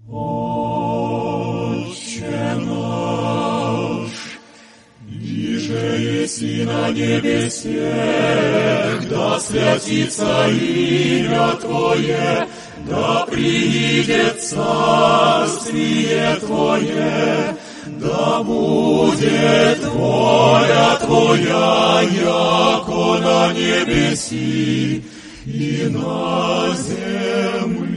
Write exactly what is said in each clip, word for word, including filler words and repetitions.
Отче наш, иже еси на небесе, да святится имя Твое, да приидет царствие Твое, да будет воля Твоя, яко на небеси и на земли.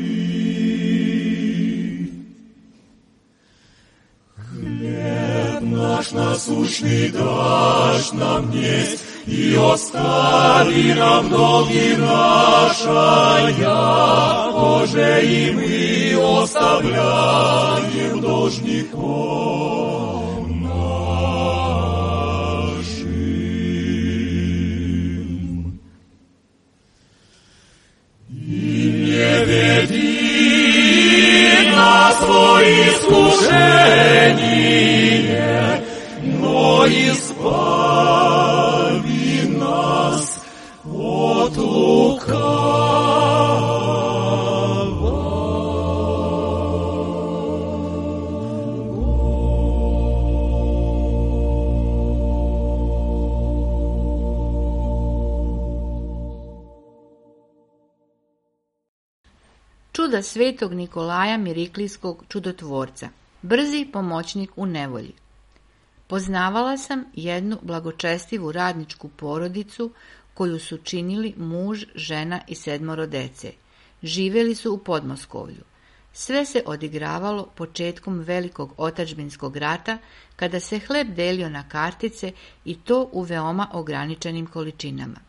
Хлеб наш насущный дашь нам днесь, и остави нам долги наши, яко же и мы оставляем должников нашим. И не веди нас во искушение, но избави нас от Čuda svetog Nikolaja Miriklijskog čudotvorca, brzi pomoćnik u nevolji. Poznavala sam jednu blagočestivu radničku porodicu koju su činili muž, žena i sedmoro dece. Živjeli su u Podmoskovlju. Sve se odigravalo početkom velikog otadžbinskog rata, kada se hleb delio na kartice i to u veoma ograničenim količinama.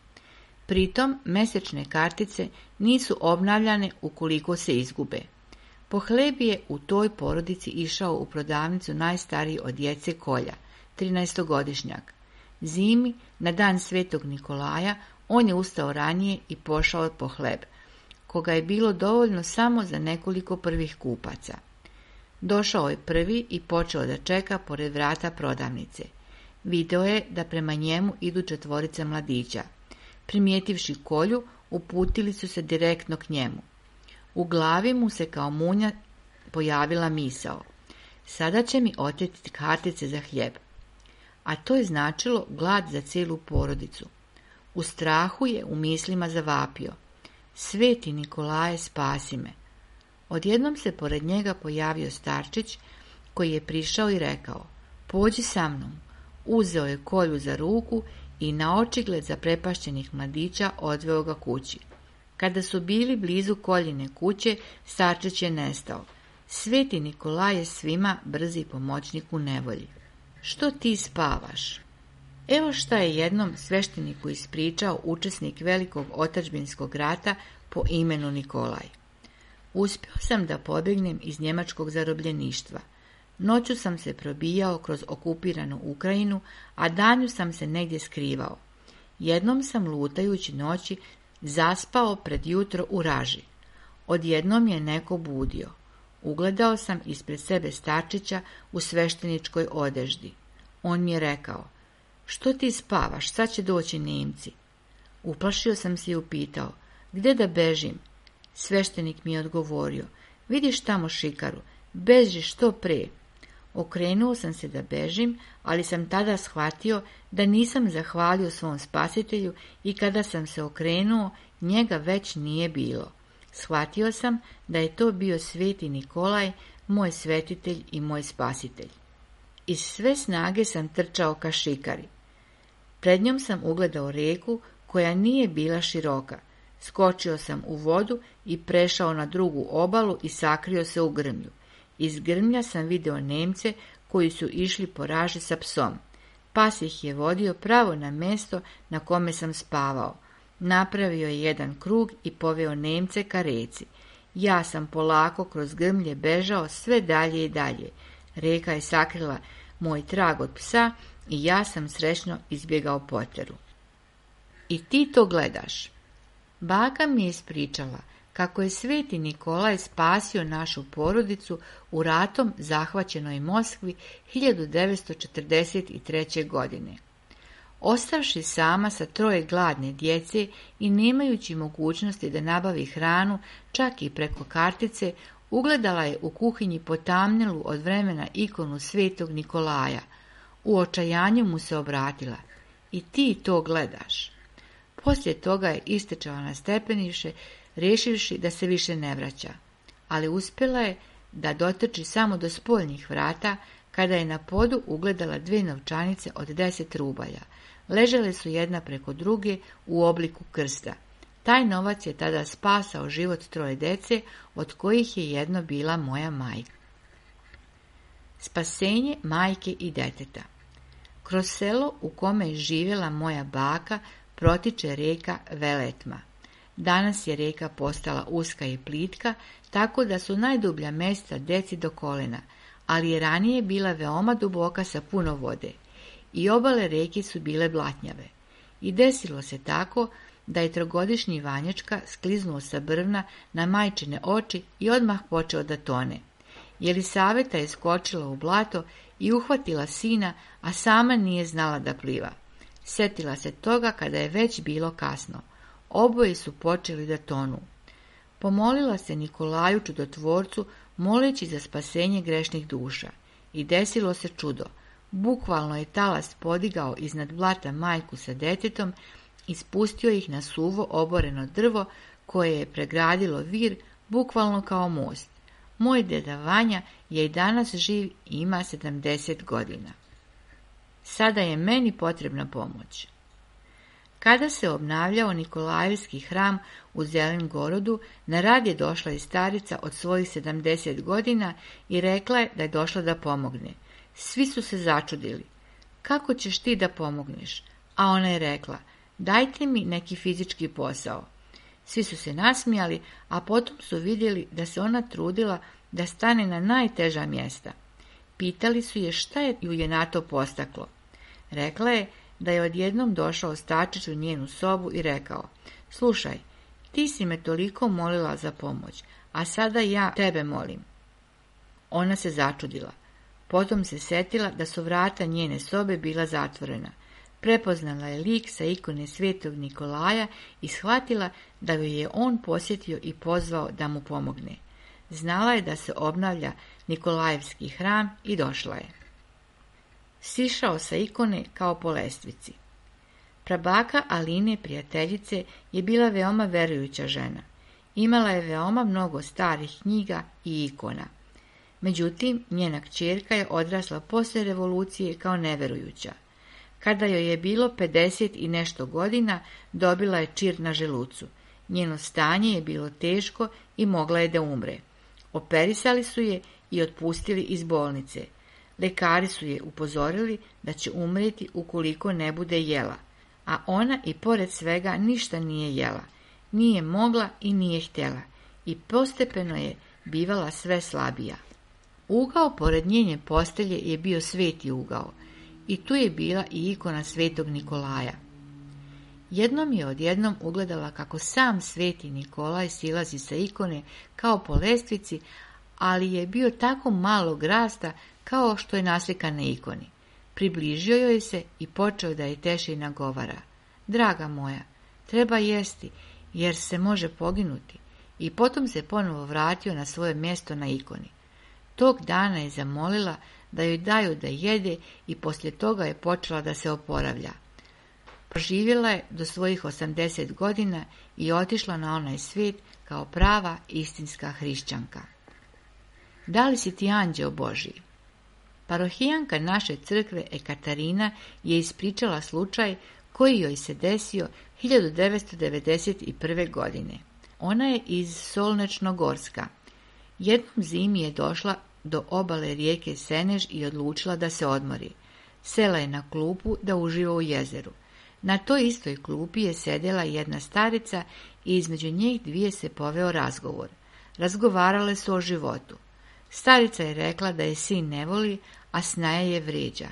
Pritom, mesečne kartice nisu obnavljane ukoliko se izgube. Po hleb je u toj porodici išao u prodavnicu najstariji od djece Kolja, trinaestogodišnjak. Zimi, na dan svetog Nikolaja, on je ustao ranije i pošao po hleb, koga je bilo dovoljno samo za nekoliko prvih kupaca. Došao je prvi i počeo da čeka pored vrata prodavnice. Video je da prema njemu idu četvorica mladića. Primijetivši Kolju, uputili su se direktno k njemu. U glavi mu se kao munja pojavila misao: sada će mi oteti kartice za hljeb. A to je značilo glad za cijelu porodicu. U strahu je u mislima zavapio: sveti Nikolaje, spasi me. Odjednom se pored njega pojavio starčić koji je prišao i rekao: pođi sa mnom. Uzeo je Kolju za ruku i na očigled zaprepašćenih mladića odveo ga kući. Kada su bili blizu Koljine kuće, starčić je nestao. Sveti Nikolaj je svima brzi pomoćnik u nevolji. Što ti spavaš? Evo šta je jednom svešteniku ispričao učesnik velikog otadžbinskog rata po imenu Nikolaj. Uspio sam da pobjegnem iz njemačkog zarobljeništva. Noću sam se probijao kroz okupiranu Ukrajinu, a danju sam se negdje skrivao. Jednom sam lutajući noći zaspao pred jutro u raži. Odjednom je neko budio. Ugledao sam ispred sebe starčića u svešteničkoj odeždi. On mi je rekao: što ti spavaš, sad će doći Nemci. Uplašio sam se i upitao: gdje da bežim? Sveštenik mi je odgovorio: vidiš tamo šikaru, beži što pre. Okrenuo sam se da bežim, ali sam tada shvatio da nisam zahvalio svom spasitelju i kada sam se okrenuo, njega već nije bilo. Shvatio sam da je to bio sveti Nikolaj, moj svetitelj i moj spasitelj. Iz sve snage sam trčao ka šikari. Pred njom sam ugledao rijeku koja nije bila široka. Skočio sam u vodu i prešao na drugu obalu i sakrio se u grmlju. Iz grmlja sam video Nemce koji su išli po raži sa psom. Pas ih je vodio pravo na mjesto na kome sam spavao. Napravio je jedan krug i poveo Nemce ka reci. Ja sam polako kroz grmlje bežao sve dalje i dalje. Reka je sakrila moj trag od psa i ja sam srećno izbjegao poteru. I ti to gledaš. Baka mi je ispričala kako je sveti Nikolaj spasio našu porodicu u ratom zahvaćenoj Moskvi hiljadu devetsto četrdeset treće. godine. Ostavši sama sa troje gladne djece i nemajući mogućnosti da nabavi hranu čak i preko kartice, Ugledala je u kuhinji potamnjelu od vremena ikonu svetog Nikolaja. U očajanju mu se obratila. I ti to gledaš. Poslije toga je istečala na stepeniše, rješivši da se više ne vraća. Ali uspjela je da dotrči samo do spoljnih vrata, kada je na podu ugledala dvije novčanice od deset rubalja. Ležele su jedna preko druge u obliku krsta. Taj novac je tada spasao život troje dece, od kojih je jedno bila moja majka. Spasenje majke i deteta. Kroz selo u kome je živjela moja baka protiče rijeka Veletma. Danas je rijeka postala uska i plitka, tako da su najdublja mjesta deci do kolena, ali je ranije bila veoma duboka sa puno vode. I obale rijeke su bile blatnjave. I desilo se tako da je trogodišnji Vanjačka skliznuo sa brvna na majčine oči i odmah počeo da tone. Jelisaveta je skočila u blato i uhvatila sina, a sama nije znala da pliva. Sjetila se toga kada je već bilo kasno. Oboje su počeli da tonu. Pomolila se Nikolaju čudotvorcu, moleći za spasenje grešnih duša. I desilo se čudo. Bukvalno je talas podigao iznad blata majku sa detetom i spustio ih na suvo oboreno drvo koje je pregradilo vir, bukvalno kao most. Moj deda Vanja je i danas živ i ima sedamdeset godina. Sada je meni potrebna pomoć. Kada se obnavljao Nikolajevski hram u Zelengorodu, na rad je došla i starica od svojih sedamdeset godina i rekla je da je došla da pomogne. Svi su se začudili. Kako ćeš ti da pomogneš? A ona je rekla, dajte mi neki fizički posao. Svi su se nasmijali, a potom su vidjeli da se ona trudila da stane na najteža mjesta. Pitali su je šta je ju je na to postaklo. Rekla je da je odjednom došao stačić u njenu sobu i rekao, slušaj, ti si me toliko molila za pomoć, a sada ja tebe molim. Ona se začudila. Potom se setila da su vrata njene sobe bila zatvorena. Prepoznala je lik sa ikone svetog Nikolaja i shvatila da joj je on posjetio i pozvao da mu pomogne. Znala je da se obnavlja Nikolajevski hram i došla je. Sišao sa ikone kao po lestvici. Prabaka Aline, prijateljice, je bila veoma verujuća žena. Imala je veoma mnogo starih knjiga i ikona. Međutim, njena kćerka je odrasla poslije revolucije kao neverujuća. Kada joj je bilo pedeset i nešto godina, dobila je čir na želucu. Njeno stanje je bilo teško i mogla je da umre. Operisali su je i otpustili iz bolnice. Lekari su je upozorili da će umreti ukoliko ne bude jela, a ona i pored svega ništa nije jela. Nije mogla i nije htjela i postepeno je bivala sve slabija. Ugao pored njene postelje je bio sveti ugao i tu je bila i ikona svetog Nikolaja. Jednom je odjednom ugledala kako sam sveti Nikolaj silazi sa ikone kao po lestvici, ali je bio tako malog rasta kao što je naslikan na ikoni. Približio joj se i počeo da je teše i nagovara. Draga moja, treba jesti, jer se može poginuti. I potom se ponovo vratio na svoje mjesto na ikoni. Tog dana je zamolila da joj daju da jede i poslije toga je počela da se oporavlja. Proživjela je do svojih osamdeset godina i otišla na onaj svijet kao prava istinska hrišćanka. Da li si ti anđeo Božji? Parohijanka naše crkve Ekaterina je ispričala slučaj koji joj se desio hiljadu devetsto devedeset prve. godine. Ona je iz Solnečnogorska. Jednom zimi je došla do obale rijeke Senež i odlučila da se odmori. Sela je na klupu da uživa u jezeru. Na toj istoj klupi je sedjela jedna starica i između njih dvije se poveo razgovor. Razgovarale su o životu. Starica je rekla da je sin ne voli, a snaja je vrijeđa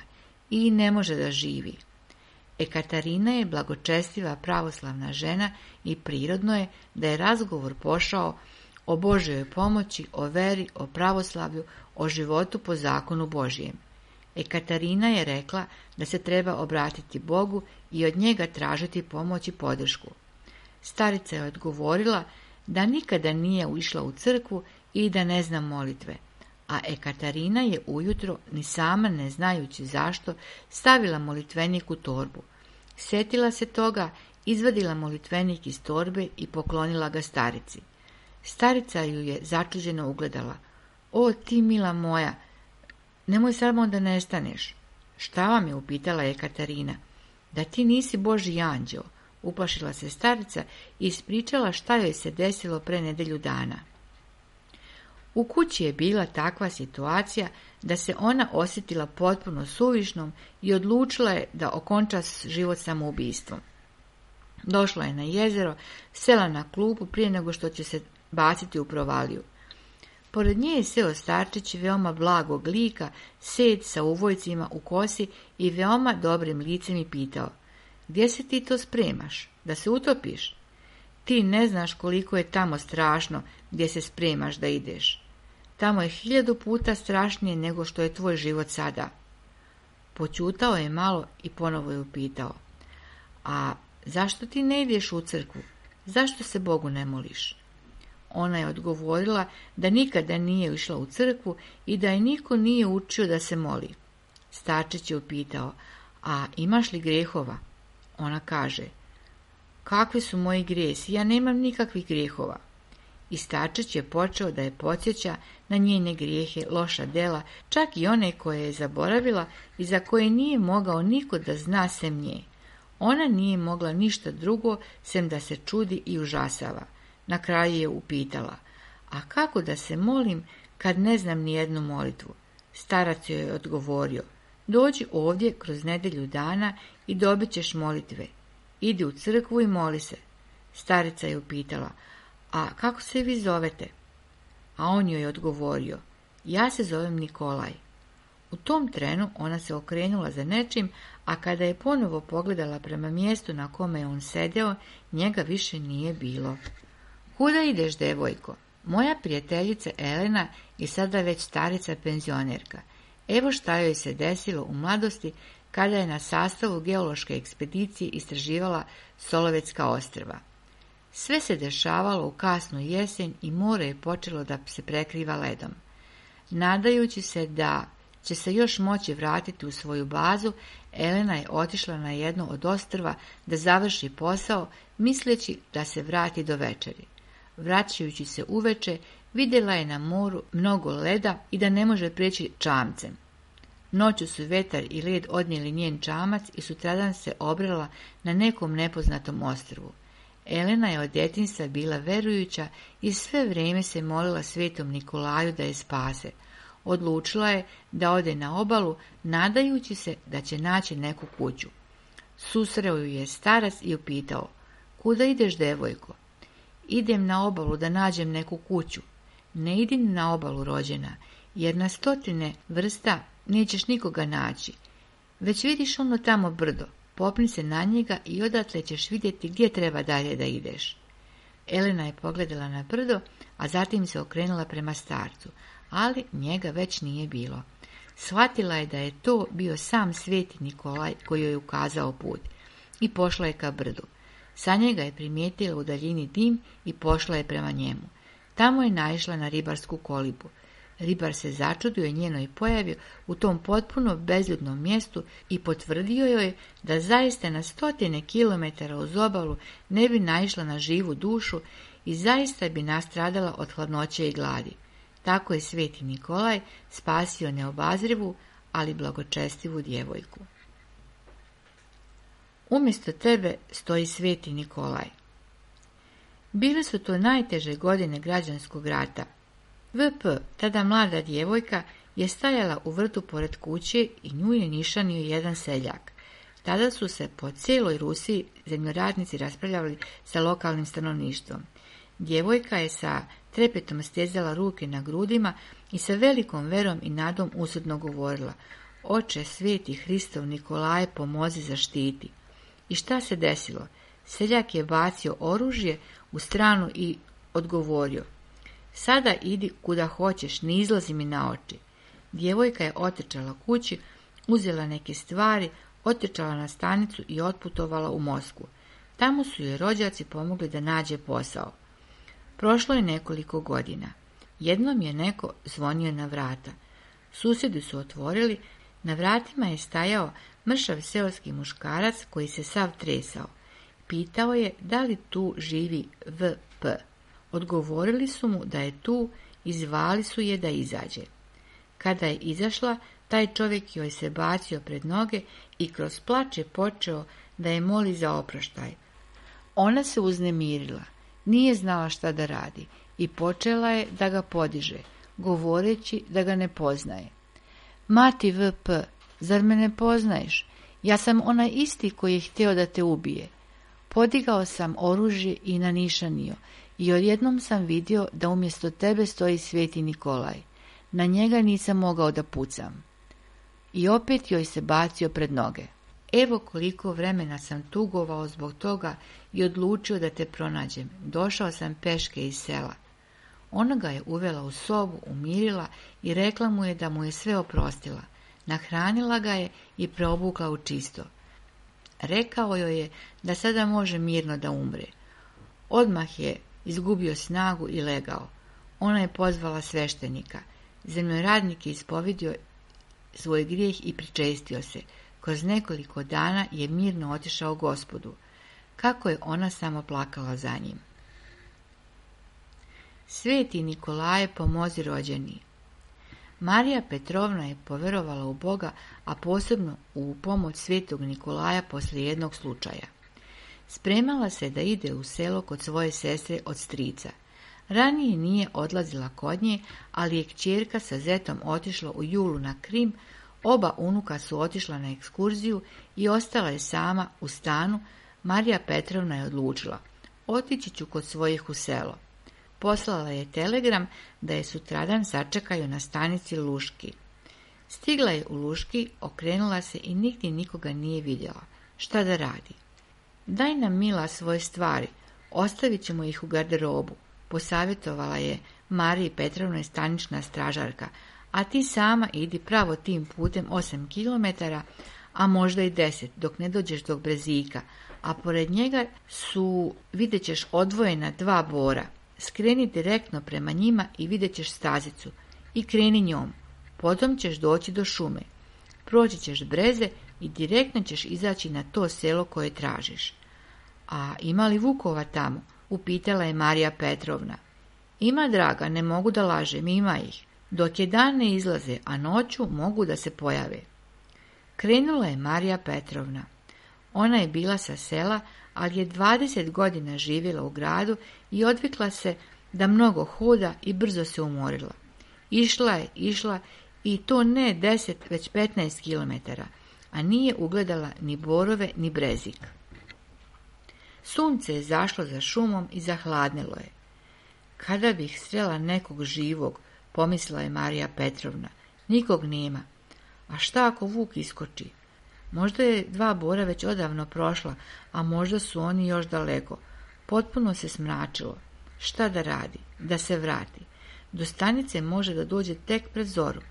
i ne može da živi. Ekaterina je blagočestiva pravoslavna žena i prirodno je da je razgovor pošao o Božjoj pomoći, o veri, o pravoslavlju, o životu po zakonu Božjem. Ekaterina je rekla da se treba obratiti Bogu i od njega tražiti pomoć i podršku. Starica je odgovorila da nikada nije išla u crkvu i da ne zna molitve. A Ekaterina je ujutro, ni sama ne znajući zašto, stavila molitvenik u torbu. Sjetila se toga, izvadila molitvenik iz torbe i poklonila ga starici. Starica ju je začuđeno ugledala. O, ti mila moja, nemoj samo da nestaneš. Šta vam je, upitala Ekaterina. Da ti nisi Božji anđeo, uplašila se starica i ispričala šta joj se desilo pre nedelju dana. U kući je bila takva situacija da se ona osjetila potpuno suvišnom i odlučila je da okonča život samoubistvom. Došla je na jezero, sela na klupu prije nego što će se baciti u provaliju. Pored nje je seo starčić veoma blagog lika, sed sa uvojcima u kosi i veoma dobrim licem i pitao: gdje se ti to spremaš, da se utopiš? Ti ne znaš koliko je tamo strašno gdje se spremaš da ideš. Tamo je hiljadu puta strašnije nego što je tvoj život sada. Počutao je malo i ponovo je upitao: a zašto ti ne ideš u crkvu? Zašto se Bogu ne moliš? Ona je odgovorila da nikada nije išla u crkvu i da je niko nije učio da se moli. Starčić je upitao: a imaš li grehova? Ona kaže: kakvi su moji grijesi, ja nemam nikakvih grijehova. I starčić je počeo da je podsjeća na njene grijehe, loša dela, čak i one koje je zaboravila i za koje nije mogao niko da zna sem nje. Ona nije mogla ništa drugo sem da se čudi i užasava. Na kraju je upitala: a kako da se molim kad ne znam ni jednu molitvu? Starac joj je odgovorio: dođi ovdje kroz nedelju dana i dobit ćeš molitve. Idi u crkvu i moli se. Starica je upitala: a kako se vi zovete? A on joj je odgovorio: ja se zovem Nikolaj. U tom trenu ona se okrenula za nečim, a kada je ponovo pogledala prema mjestu na kome je on sedeo, njega više nije bilo. Kuda ideš, devojko? Moja prijateljica Elena je sada već starica penzionerka. Evo šta joj se desilo u mladosti kada je na sastavu geološke ekspedicije istraživala Solovetska ostrva. Sve se dešavalo u kasnu jesen i more je počelo da se prekriva ledom. Nadajući se da će se još moći vratiti u svoju bazu, Elena je otišla na jedno od ostrva da završi posao, misleći da se vrati do večeri. Vraćajući se uveče, vidjela je na moru mnogo leda i da ne može prijeći čamcem. Noću su vetar i led odnijeli njen čamac i sutradan se obrela na nekom nepoznatom ostrvu. Elena je od djetinjstva bila verujuća i sve vrijeme se molila svetom Nikolaju da je spase. Odlučila je da ode na obalu, nadajući se da će naći neku kuću. Susreo ju je starac i upitao: kuda ideš, devojko? Idem na obalu da nađem neku kuću. Ne idi na obalu, rođena, jer na stotine vrsta nećeš nikoga naći. Već vidiš ono tamo brdo, popni se na njega i odatle ćeš vidjeti gdje treba dalje da ideš. Elena je pogledala na brdo, a zatim se okrenula prema starcu, ali njega već nije bilo. Shvatila je da je to bio sam sveti Nikolaj koji joj ukazao put i pošla je ka brdu. Sa njega je primijetila u daljini dim i pošla je prema njemu. Tamo je naišla na ribarsku kolibu. Ribar se začudio njenoj pojavi u tom potpuno bezljudnom mjestu i potvrdio joj da zaista na stotine kilometara uz obalu ne bi naišla na živu dušu i zaista bi nastradala od hladnoće i gladi. Tako je sveti Nikolaj spasio neobazrivu, ali blagočestivu djevojku. Umjesto tebe stoji sveti Nikolaj. Bile su to najteže godine građanskog rata. V P, tada mlada djevojka, je stajala u vrtu pored kuće i nju je nišanio jedan seljak. Tada su se po cijeloj Rusiji zemljoradnici raspravljali sa lokalnim stanovništvom. Djevojka je sa trepetom stezala ruke na grudima i sa velikom verom i nadom usudno govorila: Oče sveti Hristov Nikolaje, pomozi, zaštiti. I šta se desilo? Seljak je bacio oružje u stranu i odgovorio: Sada idi kuda hoćeš, ne izlazi mi na oči. Djevojka je otrčala kući, uzela neke stvari, otrčala na stanicu i otputovala u Moskvu. Tamo su joj rođaci pomogli da nađe posao. Prošlo je nekoliko godina. Jednom je neko zvonio na vrata. Susjedi su otvorili, na vratima je stajao mršav seoski muškarac koji se sav tresao. Pitao je da li tu živi V P. Odgovorili su mu da je tu i zvali su je da izađe. Kada je izašla, taj čovjek joj se bacio pred noge i kroz plač je počeo da je moli za oproštaj. Ona se uznemirila, nije znala šta da radi i počela je da ga podiže, govoreći da ga ne poznaje. Mati V P, zar me ne poznaješ? Ja sam onaj isti koji je htio da te ubije. Podigao sam oružje i nanišanio i odjednom sam vidio da umjesto tebe stoji Sveti Nikolaj. Na njega nisam mogao da pucam. I opet joj se bacio pred noge. Evo koliko vremena sam tugovao zbog toga i odlučio da te pronađem. Došao sam peške iz sela. Ona ga je uvela u sobu, umirila i rekla mu je da mu je sve oprostila. Nahranila ga je i preobukla u čisto. Rekao joj je da sada može mirno da umre. Odmah je izgubio snagu i legao. Ona je pozvala sveštenika. Zemljoradnik je ispovidio svoj grijeh i pričestio se. Kroz nekoliko dana je mirno otišao Gospodu. Kako je ona samo plakala za njim. Sveti Nikolaje, pomozi rođeni. Marija Petrovna je poverovala u Boga, a posebno u pomoć Svetog Nikolaja poslije jednog slučaja. Spremala se da ide u selo kod svoje sestre od strica. Ranije nije odlazila kod nje, ali je kćerka sa zetom otišla u julu na Krim, oba unuka su otišla na ekskurziju i ostala je sama u stanu. Marija Petrovna je odlučila, otići ću kod svojih u selo. Poslala je telegram da je sutradan sačekaju na stanici Luški. Stigla je u Luški, okrenula se i nigdje nikoga nije vidjela. Šta da radi? Daj nam, mila, svoje stvari, ostavit ćemo ih u garderobu, posavjetovala je Mariji Petrovnoj stanična stražarka, a ti sama idi pravo tim putem osam kilometara, a možda i deset, dok ne dođeš do Brezika, a pored njega su, vidjet ćeš, odvojena dva bora. Skreni direktno prema njima i vidjet ćeš stazicu i kreni njom. Potom ćeš doći do šume. Proći ćeš breze i direktno ćeš izaći na to selo koje tražiš. A ima li vukova tamo? Upitala je Marija Petrovna. Ima, draga, ne mogu da lažem, ima ih. Dok je dan ne izlaze, a noću mogu da se pojave. Krenula je Marija Petrovna. Ona je bila sa sela, ali je dvadeset godina živjela u gradu i odvikla se da mnogo hoda i brzo se umorila. Išla je, išla i to ne deset, već petnaest kilometara, a nije ugledala ni borove, ni Brezik. Sunce je zašlo za šumom i zahladnilo je. Kada bih srela nekog živog, pomislila je Marija Petrovna, nikog nema. A šta ako vuk iskoči? Možda je dva bora već odavno prošla, a možda su oni još daleko. Potpuno se smračilo. Šta da radi? Da se vrati. Do stanice može da dođe tek pred zoru.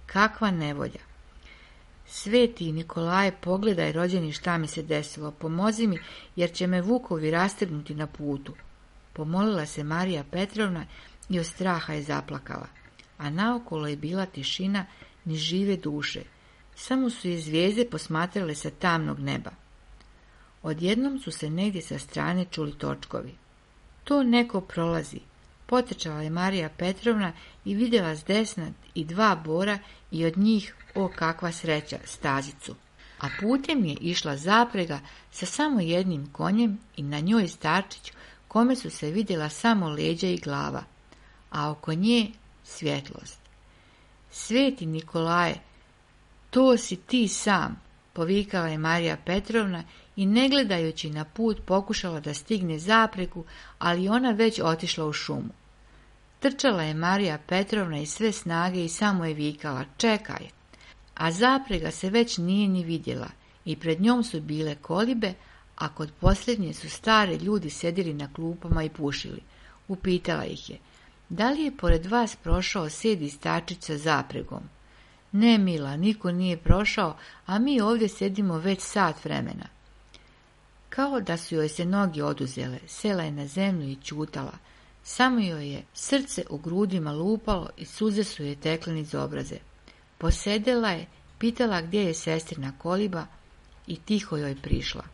Kakva nevolja! Sveti Nikolaje, pogledaj, rođeni, šta mi se desilo. Pomozi mi, jer će me vukovi rastrgnuti na putu. Pomolila se Marija Petrovna i od straha je zaplakala. A naokolo je bila tišina, ni žive duše. Samo su je zvijezde posmatrale sa tamnog neba. Odjednom su se negdje sa strane čuli točkovi. To neko prolazi. Potrčala je Marija Petrovna i vidjela s desna i dva bora i od njih, o kakva sreća, stazicu. A putem je išla zaprega sa samo jednim konjem i na njoj starčić kome su se vidjela samo leđa i glava, a oko nje svjetlost. Sveti Nikolaje, to si ti sam, povikala je Marija Petrovna i ne gledajući na put pokušala da stigne zapregu, ali ona već otišla u šumu. Trčala je Marija Petrovna iz sve snage i samo je vikala, čekaj, a zaprega se već nije ni vidjela i pred njom su bile kolibe, a kod posljednje su stare ljudi sedjeli na klupama i pušili. Upitala ih je, da li je pored vas prošao sedi starčić sa zapregom? Ne, mila, niko nije prošao, a mi ovdje sedimo već sat vremena. Kao da su joj se noge oduzele, sela je na zemlju i ćutala. Samo joj je srce u grudima lupalo i suze su je tekle niz obraze. Posedela je, pitala gdje je sestrina koliba i tiho joj prišla.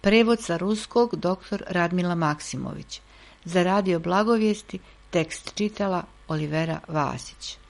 Prevod sa ruskog doktor Radmila Maksimović. Za radio Blagovijesti tekst čitala Olivera Vasić.